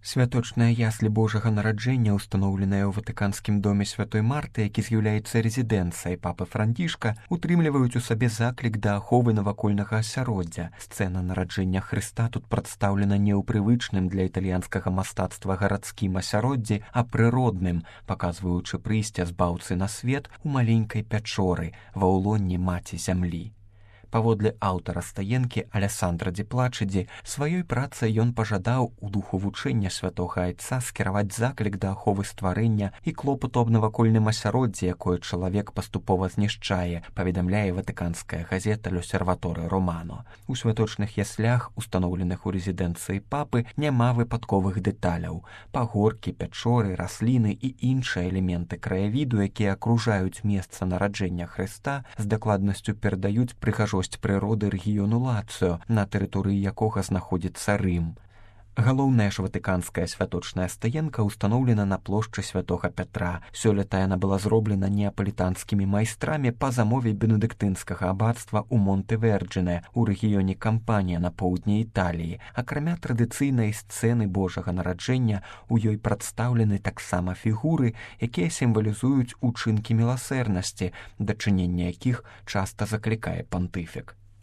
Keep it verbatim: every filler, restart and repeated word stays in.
Святочныя яслі Божага нараджэння, устаноўленыя ў ватыканскім доме святой Марты, які з'яўляецца рэзідэнцыяй папы Францішка, утрымліваюць у сабе заклік да аховы навакольнага асяроддзя. Сцэна нараджэння Хрыста тут прадстаўлена не ў прывычным для італьянскага мастацтва гарадскім асяроддзі, а прыродным, паказваючы прыйсце збаўцы на свет у маленькай пячоры ва ўлонні маці зямлі. Паводле аўтара стаенкі Алессандра Ді Плачыдзі, сваёй працай ён пажадаў у духу вучэння святога айца скіраваць заклік да аховы стварэння і клопату аб навакольным асяроддзі, якое чалавек паступова знішчае, паведамляе ватыканская газета «Л'Осерваторе Романо». У святочных яслях, устаноўленых у рэзідэнцыі папы, няма выпадковых дэталяў. Пагоркі, пячоры, расліны і іншыя элементы краявіду, якія акружаюць месца нараджэння Хрыста, з дакладнасцю перадаюць прыгажосць прыроды рэгіёну Лацыё, на тэрыторыі якога знаходзіцца Рым. Галоўная ж ватыканская святочная стаенка ўстаноўлена на плошчы святога Пятра. Сёлета яна была зроблена неапалітанскімі майстрамі па замове бенедыктынскага абацтва ў Монте-Верджине у рэгіёне Кампанія на поўдні Італіі. Акрамя традыцыйнай сцэны Божага нараджэння, у ёй прадстаўлены таксама фігуры, якія сімвалізуюць учынкі міласэрнасці, дачынення якіх часта заклікае пантыфік.